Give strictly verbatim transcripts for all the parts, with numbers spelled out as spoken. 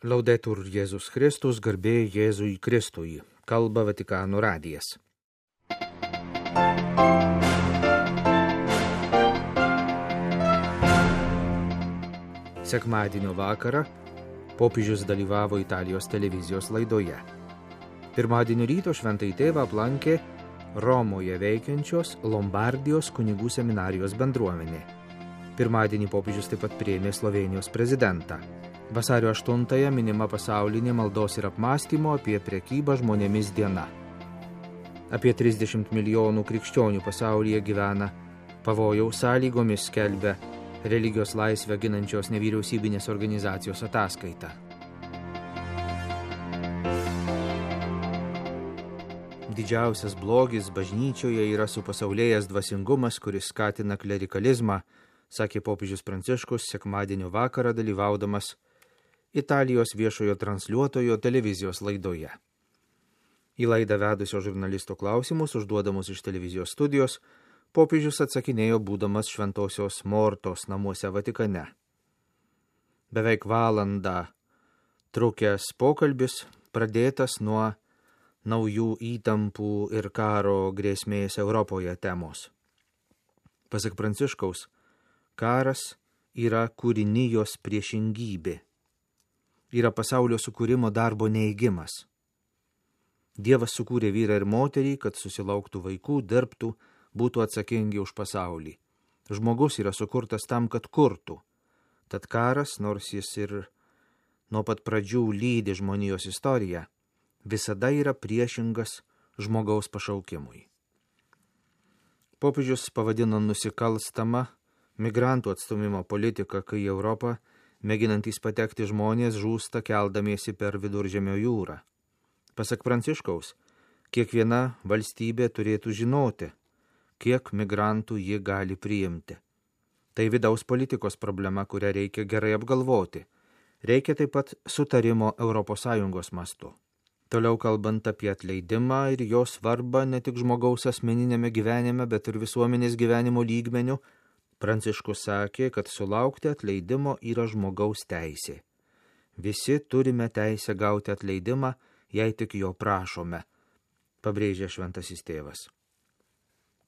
Laudetur Jėzus Kristus, garbė Jėzui Kristui, kalba Vatikano radijas. Sekmadienio vakarą popiežius dalyvavo Italijos televizijos laidoje. Pirmadienio ryto šventąjį tėvą aplankė Romoje veikiančios Lombardijos kunigų seminarijos bendruomenė. Pirmadienį popiežius taip pat priėmė Slovėnijos prezidentą. Vasario aštuntąją minima pasaulinė maldos ir apmąstymo apie prekybą žmonėmis diena. Apie trisdešimt milijonų krikščionių pasaulyje gyvena pavojaus sąlygomis, skelbia religijos laisvę ginančios nevyriausybinės organizacijos ataskaita. Didžiausias blogis bažnyčioje yra supasaulėjęs dvasingumas, kuris skatina klerikalizmą, sakė popiežius Pranciškus sekmadienio vakarą dalyvaudamas Italijos viešojo transliuotojo televizijos laidoje. Į laidą vedusio žurnalisto klausimus, užduodamus iš televizijos studijos, popiežius atsakinėjo būdamas Šventosios Mortos namuose Vatikane. Beveik valandą trukęs pokalbis pradėtas nuo naujų įtampų ir karo grėsmės Europoje temos. Pasak Pranciškaus, karas yra kūrinijos priešingybė. Yra pasaulio sukūrimo darbo neigimas. Dievas sukūrė vyrą ir moterį, kad susilauktų vaikų, dirbtų, būtų atsakingi už pasaulį. Žmogus yra sukurtas tam, kad kurtų. Tad karas, nors jis ir nuo pat pradžių lydi žmonijos istoriją, visada yra priešingas žmogaus pašaukimui. Popiežius pavadino nusikalstamą migrantų atstūmimo politiką, kai į Europą mėginantys patekti žmonės žūsta keldamiesi per Viduržemio jūrą. Pasak Pranciškaus, kiekviena valstybė turėtų žinoti, kiek migrantų ji gali priimti. Tai vidaus politikos problema, kurią reikia gerai apgalvoti. Reikia taip pat sutarimo Europos Sąjungos mastu. Toliau kalbant apie atleidimą ir jo svarbą ne tik žmogaus asmeninėme gyvenime, bet ir visuomenės gyvenimo lygmeniu, Pranciškus sakė, kad sulaukti atleidimo yra žmogaus teisė. Visi turime teisę gauti atleidimą, jei tik jo prašome, pabrėžė šventasis tėvas.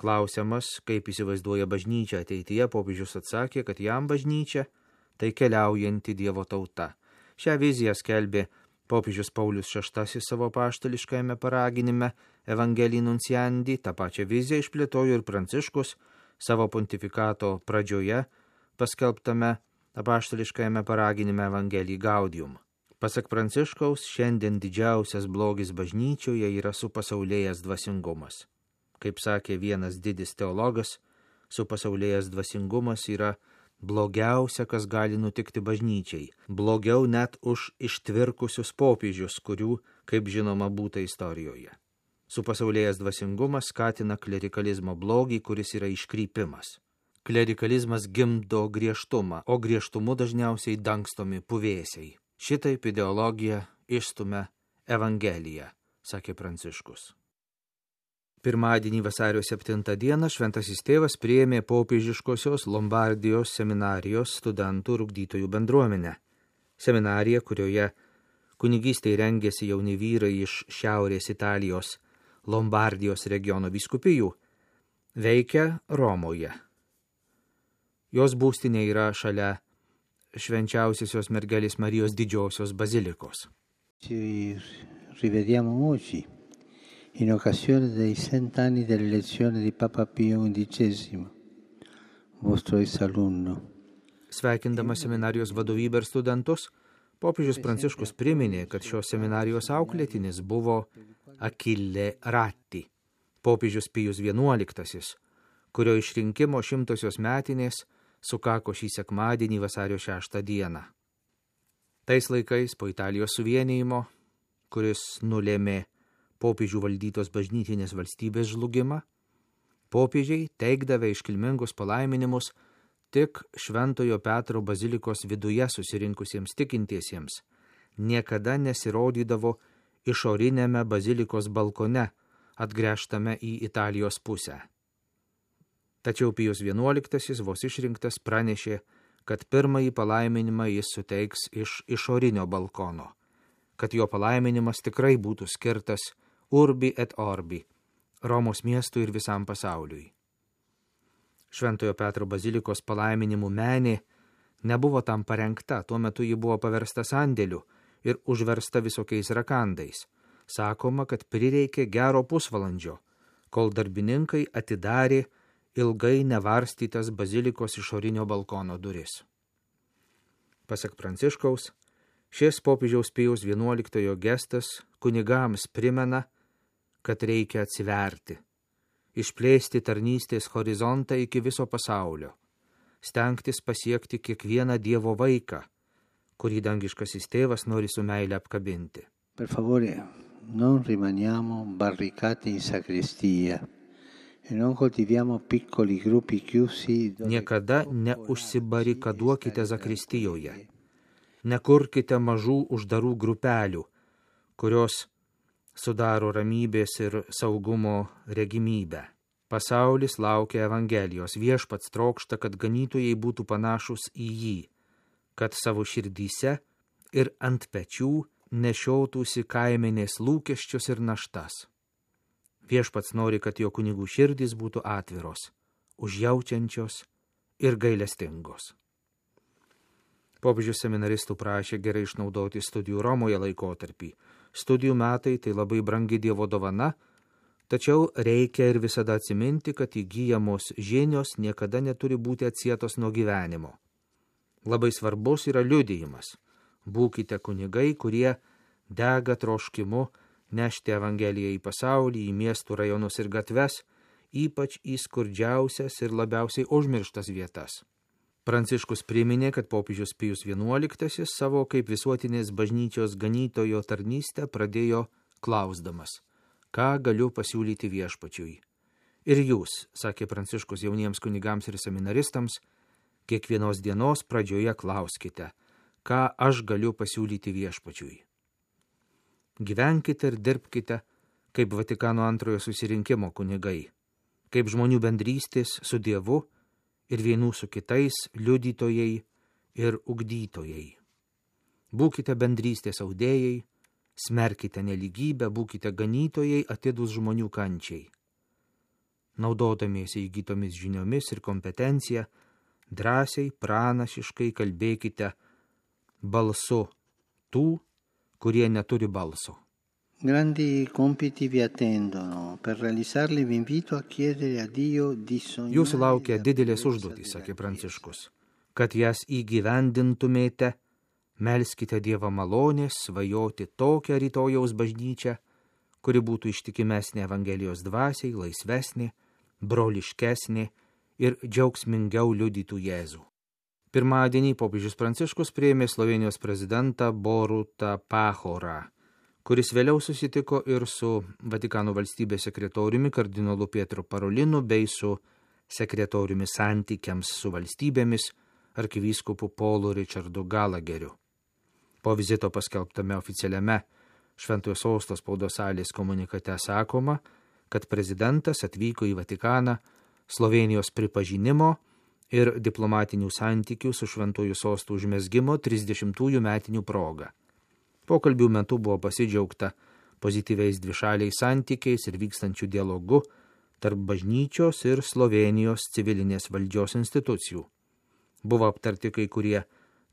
Klausiamas, kaip įsivaizduoja bažnyčia ateityje, popiežius atsakė, kad jam bažnyčia tai keliaujanti Dievo tauta. Šią viziją skelbė popiežius Paulius šeštasis savo apaštališkajame paraginime Evangelii Nunciandi. Ta pačia viziją išplėtojo ir Pranciškus savo pontifikato pradžioje paskelbtame apaštališkajame paraginime Evangelii Gaudium. Pasak Pranciškaus, šiandien didžiausias blogis bažnyčioje yra supasaulėjęs dvasingumas. Kaip sakė vienas didis teologas, supasaulėjęs dvasingumas yra blogiausia, kas gali nutikti bažnyčiai. Blogiau net už ištvirkusius popiežius, kurių, kaip žinoma, būta istorijoje. Supasaulėjęs dvasingumas skatina klerikalizmo blogį, kuris yra iškrypimas. Klerikalizmas gimdo griežtumą, o griežtumu dažniausiai dangstomi puvėsiai. Šitaip ideologija išstumia Evangeliją, sakė Pranciškus. Pirmadienį vasario septintą dieną šventasis tėvas priėmė popiežiškosios Lombardijos seminarijos studentų ir ugdytojų bendruomenę. Seminarija, kurioje kunigystei rengėsi jauni vyrai iš Šiaurės Italijos Lombardijos regiono vyskupijų, veikia Romoje. Jos būstinė yra šalia švenčiausiosios mergelės Marijos didžiosios bazilikos. Ci rivediamo oggi in occasione dei cent'anni dell'elezione di Papa Pio undicesimo, vostro ex alunno. Sveikindamas seminarijos vadovybę ir studentus, popiežius Pranciškus priminė, kad šios seminarijos auklėtinis buvo Achille Ratti, popiežius Pijus vienuoliktasis, kurio išrinkimo šimtosios metinės sukako šį sekmadienį vasario šeštą dieną. Tais laikais po Italijos suvienijimo, kuris nulėmė popiežių valdytos bažnytinės valstybės žlugimą, popiežiai teikdavę iškilmingus palaiminimus tik Šventojo Petro bazilikos viduje susirinkusiems tikintiesiems, niekada nesirodydavo išorinėme bazilikos balkone, atgręžtame į Italijos pusę. Tačiau Pijus vienuoliktasis vos išrinktas pranešė, kad pirmąjį palaiminimą jis suteiks iš išorinio balkono, kad jo palaiminimas tikrai būtų skirtas urbi et orbi, Romos miestui ir visam pasauliui. Šventojo Petro bazilikos palaiminimų menė nebuvo tam parengta, tuo metu ji buvo paversta sandėliu ir užversta visokiais rakandais. Sakoma, kad prireikė gero pusvalandžio, kol darbininkai atidarė ilgai nevarstytas bazilikos išorinio balkono duris. Pasak Pranciškaus, šis popiežiaus Pijaus vienuoliktojo gestas kunigams primena, kad reikia atsiverti, išplėsti tarnystės horizontą iki viso pasaulio, stengtis pasiekti kiekvieną Dievo vaiką, kurį dangiškasis tėvas nori su meile apkabinti. Per favore, non rimaniamo barricati in sacrestia e non coltiviamo piccoli gruppi chiusi. Niekada neužsibarikaduokite zakristijoje. Nekurkite mažų uždarų grupelių, kurios sudaro ramybės ir saugumo regimybę. Pasaulis laukia Evangelijos, viešpats trokšta, kad ganytojai būtų panašus į jį, kad savo širdyse ir ant pečių nešiotųsi kaimenės lūkesčius ir naštas. Viešpats nori, kad jo kunigų širdys būtų atviros, užjaučiančios ir gailestingos. Popiežius seminaristų prašė gerai išnaudoti studijų Romoje laikotarpį. Studijų metai tai labai brangi Dievo dovana, tačiau reikia ir visada atsiminti, kad įgyjamos žinios niekada neturi būti atsietos nuo gyvenimo. Labai svarbus yra liudijimas. Būkite kunigai, kurie dega troškimu nešti Evangeliją į pasaulį, į miestų rajonus ir gatves, ypač į skurdžiausias ir labiausiai užmirštas vietas. Pranciškus priminė, kad popiežius Pijus vienuoliktasis savo kaip visuotinės bažnyčios ganytojo tarnystę pradėjo klausdamas, ką galiu pasiūlyti viešpačiui. Ir jūs, sakė Pranciškus jauniems kunigams ir seminaristams, kiekvienos dienos pradžioje klauskite, ką aš galiu pasiūlyti viešpačiui. Gyvenkite ir dirbkite kaip Vatikano antrojo susirinkimo kunigai, kaip žmonių bendrystės su Dievu ir vienų su kitais liudytojai ir ugdytojai. Būkite bendrystės audėjai, smerkite nelygybę, būkite ganytojai atidūs žmonių kančiai. Naudodamiesi įgytomis žiniomis ir kompetencija, drąsiai, pranašiškai kalbėkite balsu tų, kurie neturi balso. Grandi compiti vi attendono. Per realizzarli vi invito a chiedere a Dio di sognare. Jūsų laukia didelės užduotys, sakė Pranciškus. Kad jas įgyvendintumėte, melskite Dievą malonės, svajoti tokią rytojaus bažnyčią, kuri būtų ištikimesnė Evangelijos dvasiai, laisvesnė, broliškesnė ir džiaugsmingiau liudytų Jėzų. Pirmadienį popiežius Pranciškus priėmė Slovėnijos prezidentą Borutą Pahorą, kuris vėliau susitiko ir su Vatikano valstybės sekretoriumi kardinolu Pietro Parolinu bei su sekretoriumi santykiams su valstybėmis arkivyskupu Paulu Richardu Galageriu. Po vizito paskelbtame oficialiame Šventojo Sosto spaudos salės komunikate sakoma, kad prezidentas atvyko į Vatikaną Slovėnijos pripažinimo ir diplomatinių santykių su Šventojo Sostu užmezgimo trisdešimtųjų metinių proga. Pokalbių metu buvo pasidžiaugta pozityviais dvišaliais santykiais ir vykstančių dialogu tarp bažnyčios ir Slovėnijos civilinės valdžios institucijų. Buvo aptarti kai kurie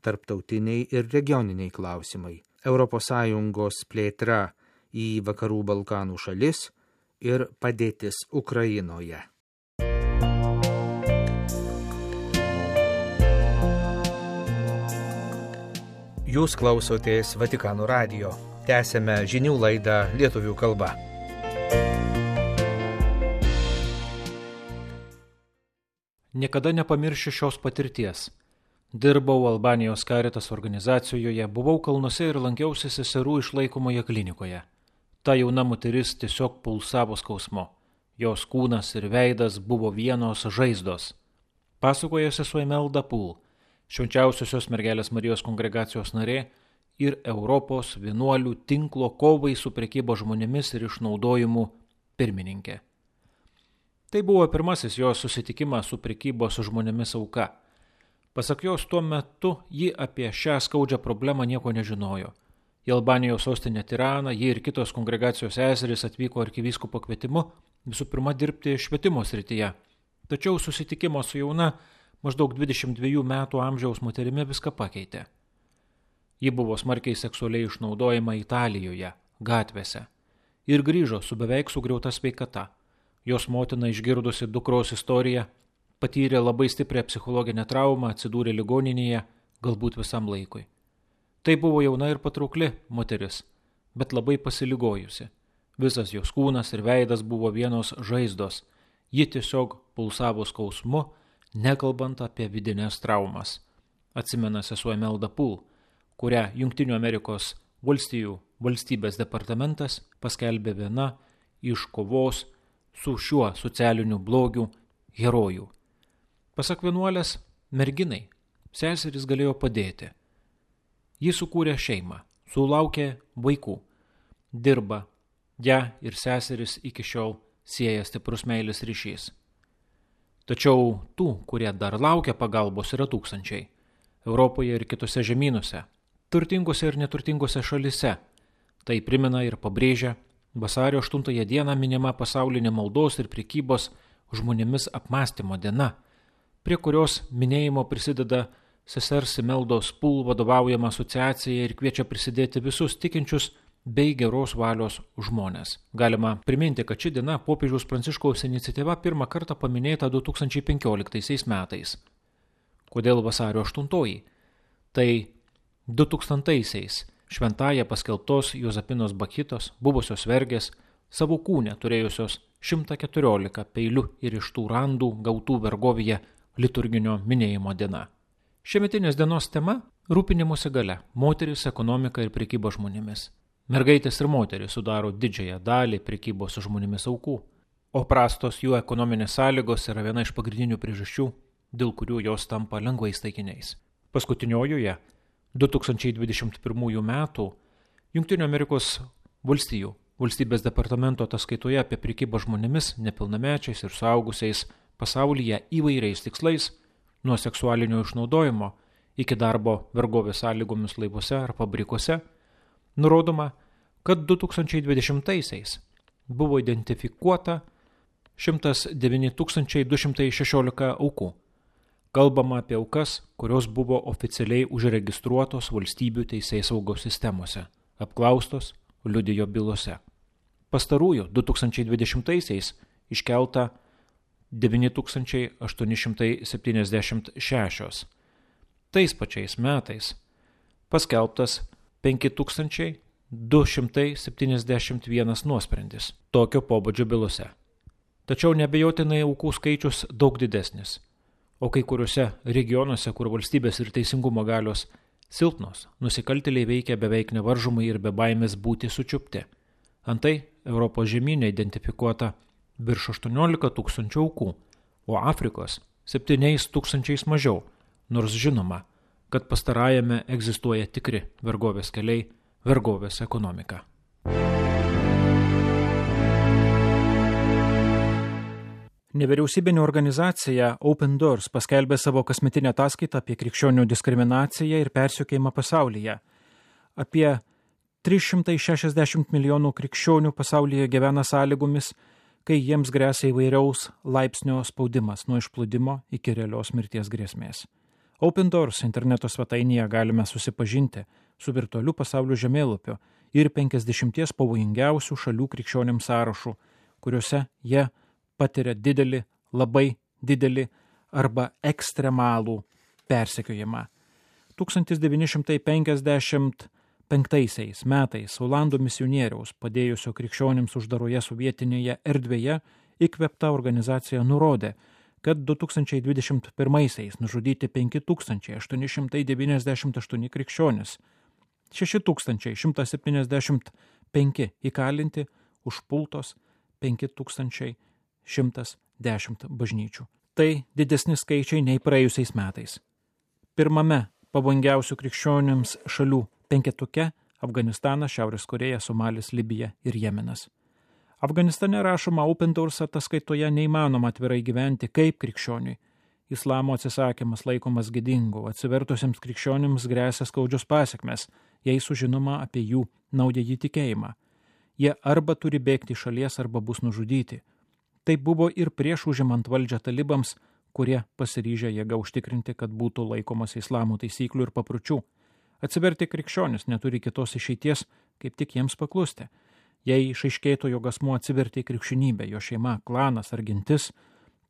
tarptautiniai ir regioniniai klausimai, Europos Sąjungos plėtra į Vakarų Balkanų šalis ir padėtis Ukrainoje. Jūs klausotės Vatikano radijo. Tęsėme žinių laidą lietuvių kalba. Niekada nepamiršiu šios patirties. Dirbau Albanijos Caritas organizacijoje, buvau kalnuose ir lankiausi seserų išlaikomoje klinikoje. Ta jauna moteris tiesiog pulsavo skausmu. Jos kūnas ir veidas buvo vienos žaizdos. Pasakoja sesuo Imelda Pul, Švenčiausiosios mergelės Marijos kongregacijos narė ir Europos vienuolių tinklo kovai su prekybo žmonėmis ir išnaudojimu pirmininkė. Tai buvo pirmasis jos susitikimas su prekybos žmonėmis auka. Pasak jos, tuo metu ji apie šią skaudžią problemą nieko nežinojo. Į Albanijos sostinę Tiraną ji ir kitos kongregacijos seserys atvyko arkivyskupo kvietimu visų pirma dirbti švietimo srityje. Tačiau susitikimo su jauna, maždaug dvidešimt dviejų metų amžiaus moterimi viską pakeitė. Ji buvo smarkiai seksualiai išnaudojama Italijoje, gatvėse, ir grįžo su beveik sugriauta sveikata. Jos motina, išgirdusi dukros istoriją, patyrė labai stiprią psichologinę traumą, atsidūrė ligoninėje, galbūt visam laikui. Tai buvo jauna ir patraukli moteris, bet labai pasiligojusi. Visas jos kūnas ir veidas buvo vienos žaizdos. Ji tiesiog pulsavo skausmu, nekalbant apie vidinės traumas. Atsimena sesuo Imelda Poole, kurią Jungtinių Amerikos valstijų valstybės departamentas paskelbė viena iš kovos su šiuo socialiniu blogiu herojų. Pasak vienuolės, merginai seserys galėjo padėti. Ji sukūrė šeimą, sulaukė vaikų, dirba, ją ir seseris iki šiol sieja stiprus meilės ryšys. Tačiau tų, kurie dar laukia pagalbos, yra tūkstančiai. Europoje ir kitose žemynuose, turtingose ir neturtingose šalise. Tai primena ir pabrėžia vasario aštuntąją dieną minima pasaulinė maldos ir prekybos žmonėmis apmąstymo diena, prie kurios minėjimo prisideda sesers Imeldos Poole vadovaujama asociacija ir kviečia prisidėti visus tikinčius bei geros valios žmonės. Galima priminti, kad ši diena popiežiaus Pranciškaus iniciatyva pirmą kartą paminėta du tūkstančiai penkioliktaisiais metais. Kodėl vasario aštuntoji? Tai du tūkstantaisiais šventąja paskelbtos Jozapinos Bakitos, buvusios vergės, savo kūne turėjusios šimtą keturiolika peilių ir iš tų randų gautų vergovėje liturginio minėjimo diena. Šiemetinės dienos tema – rūpinimuose galia, moteris, ekonomika ir prekyba žmonėmis. Mergaitės ir moteris sudaro didžiąją dalį prekybos žmonėmis aukų, o prastos jų ekonominės sąlygos yra viena iš pagrindinių priežasčių, dėl kurių jos tampa lengvais taikiniais. Paskutiniojoje du tūkstančiai dvidešimt pirmųjų metų Jungtinių Amerikos valstijų valstybės departamento ataskaitoje apie prekybą žmonėmis, nepilnamečiais ir suaugusiais pasaulyje įvairiais tikslais, nuo seksualinio išnaudojimo iki darbo vergovės sąlygomis laivuose ar fabrikuose, nurodoma, kad du tūkstančiai dvidešimtaisiais buvo identifikuota šimtas devyni tūkstančiai du šimtai šešiolika aukų. Kalbama apie aukas, kurios buvo oficialiai užregistruotos valstybių teisėsaugos sistemose, apklaustos, liudijo bylose. Pastarųjų du tūkstančiai dvidešimtaisiais iškelta devyni tūkstančiai aštuoni šimtai septyniasdešimt šešios. Tais pačiais metais paskelbtas penki tūkstančiai du šimtai septyniasdešimt vienas nuosprendis tokio pobūdžio bylose. Tačiau neabejotinai aukų skaičius daug didesnis, o kai kuriuose regionuose, kur valstybės ir teisingumo galios silpnos, nusikaltėliai veikia beveik nevaržomai ir be baimės būti sučiupti. Antai Europos žemyne identifikuota virš aštuoniolika tūkstančių aukų, o Afrikos septyniais tūkstančiais mažiau, nors žinoma, kad pastarajame egzistuoja tikri vergovės keliai, vergovės ekonomika. Nevyriausybinė organizacija Open Doors paskelbė savo kasmetinę ataskaitą apie krikščionių diskriminaciją ir persekiojimą pasaulyje. Apie trys šimtai šešiasdešimt milijonų krikščionių pasaulyje gyvena sąlygomis, kai jiems gresia įvairiaus laipsnio spaudimas nuo išplūdimo iki realios mirties grėsmės. Open Doors interneto svetainėje galime susipažinti su virtualiu pasaulio žemėlapiu ir penkiasdešimties pavojingiausių šalių krikščionims sąrašu, kuriuose jie patiria didelį, labai didelį arba ekstremalų persekiojimą. tūkstantis devyni šimtai penkiasdešimt penktaisiais metais Olandų misionieriaus padėjusio krikščionims uždaroje sovietinėje erdvėje įkvėpta organizacija nurodė, kad du tūkstančiai dvidešimt pirmaisiais nužudyti penki tūkstančiai aštuoni šimtai devyniasdešimt aštuoni krikščionys, šeši tūkstančiai šimtas septyniasdešimt penki įkalinti, užpultos penki tūkstančiai šimtas dešimt bažnyčių. Tai didesni skaičiai nei praėjusiais metais. Pirmame pavojingiausių krikščionims šalių penketuke Afganistanas, Šiaurės Korėja, Somalis, Libija ir Jemenas. Afganistane rašoma Open Doors ataskaitoje neįmanoma atvirai gyventi kaip krikščioniui, islamo atsisakymas laikomas gėdingu, atsivertusiems krikščionims grėsia skaudžios pasekmes, jei sužinoma apie jų naująjį tikėjimą. Jie arba turi bėgti iš šalies, arba bus nužudyti. Tai buvo ir prieš užimant valdžią talibams, kurie pasiryžę jėga užtikrinti, kad būtų laikomas islamo taisyklių ir papročių. Atsiverti krikščionis neturi kitos išeities, kaip tik jiems paklusti. Jei išaiškėtų, jog asmuo atsivertė į krikščionybę, jo šeima, klanas ar gentis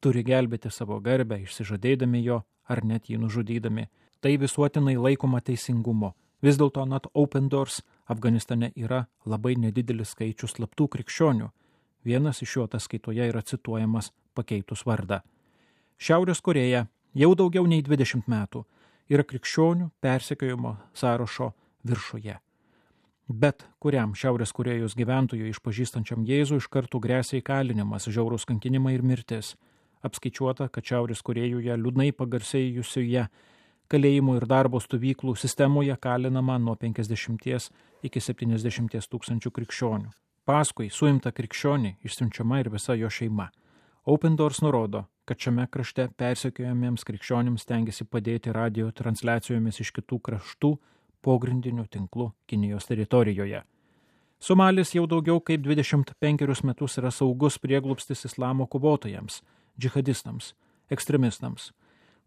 turi gelbėti savo garbę, išsižadėdami jo ar net jį nužudydami. Tai visuotinai laikoma teisingumo. Vis dėlto anot Open Doors Afganistane yra labai nedidelis skaičius slaptų krikščionių. Vienas iš jų ataskaitoje yra cituojamas pakeitus vardą. Šiaurės Korėja jau daugiau nei dvidešimt metų yra krikščionių persekiojimo sąrašo viršuje. Bet kuriam Šiaurės Korėjos gyventojui išpažįstančiam Jėzų iš karto grėsia įkalinimas, žiaurūs kankinimai ir mirtis. Apskaičiuota, kad Šiaurės Korėjoje liūdnai pagarsėjusioje kalėjimų ir darbo stovyklų sistemoje kalinama nuo penkiasdešimties iki septyniasdešimties tūkstančių krikščionių. Paskui suimta krikščionį išsiunčiama ir visa jo šeima. Open Doors nurodo, kad šiame krašte persekiojamiems krikščionims stengiasi padėti radio transliacijomis iš kitų kraštų pogrindinių tinklų Kinijos teritorijoje. Somalis jau daugiau kaip dvidešimt penkerius metus yra saugus prieglobstis islamo kovotojams, džihadistams, ekstremistams,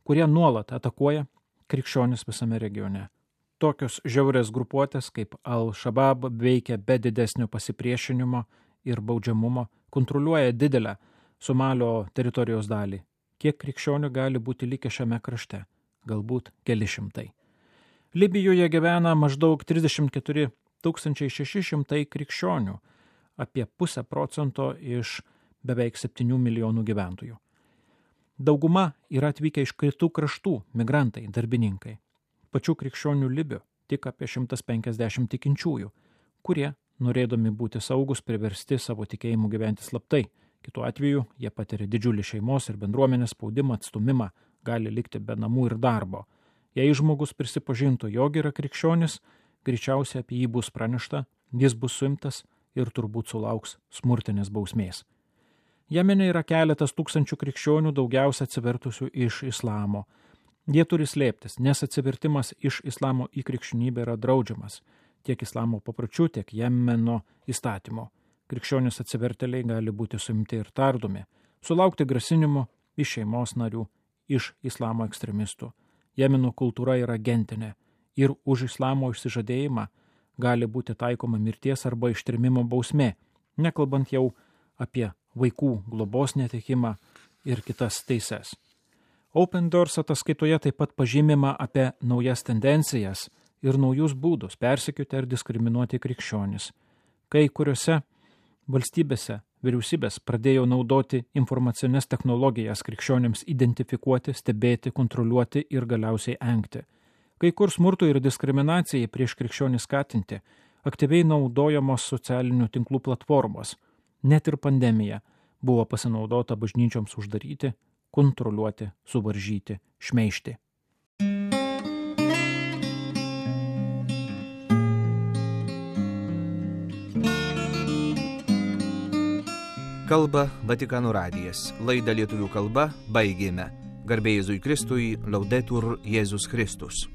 kurie nuolat atakuoja krikščionis visame regione. Tokios žiaurės grupuotės kaip Al-Shabaab veikia be didesnio pasipriešinimo ir baudžiamumo, kontroliuoja didelę Somalio teritorijos dalį. Kiek krikščionių gali būti likę šiame krašte? Galbūt keli šimtai. Libijoje gyvena maždaug trisdešimt keturi tūkstančiai šeši šimtai krikščionių, apie pusę procento iš beveik septynių milijonų gyventojų. Dauguma yra atvykę iš kitų kraštų, migrantai, darbininkai. Pačių krikščionių Libių tik apie šimtas penkiasdešimt tikinčiųjų, kurie, norėdami būti saugus, priversti savo tikėjimu gyventi slaptai. Kitu atveju jie patiria didžiulį šeimos ir bendruomenės spaudimą, atstumimą, gali likti be namų ir darbo. Jei žmogus prisipažintų, jog yra krikščionis, greičiausiai apie jį bus pranešta, jis bus suimtas ir turbūt sulauks smurtinės bausmės. Jemene yra keletas tūkstančių krikščionių, daugiausia atsivertusių iš islamo. Jie turi slėptis, nes atsivertimas iš islamo į krikščionybę yra draudžiamas, tiek islamo papročių, tiek Jemeno įstatymo. Krikščionis atsivertėliai gali būti suimti ir tardomi, sulaukti grasinimo iš šeimos narių, iš islamo ekstremistų. Jemeno kultūra yra gentinė ir už islamo išsižadėjimą gali būti taikoma mirties arba ištrimimo bausmė, nekalbant jau apie vaikų globos netekimą ir kitas teises. Open Doors ataskaitoje taip pat pažymima apie naujas tendencijas ir naujus būdus persekioti ar diskriminuoti krikščionis. Kai kuriuose valstybėse vyriausybės pradėjo naudoti informacinės technologijas krikščionims identifikuoti, stebėti, kontroliuoti ir galiausiai engti. Kai kur smurtui ir diskriminacijai prieš krikščionį skatinti, aktyviai naudojamos socialinių tinklų platformos. Net ir pandemija buvo pasinaudota bažnyčioms uždaryti, kontroliuoti, suvaržyti, šmeižti. Kalba Vatikano radijas. Laidą lietuvių kalba baigėme. Garbė Jėzui Kristui, Laudetur Jėzus Kristus.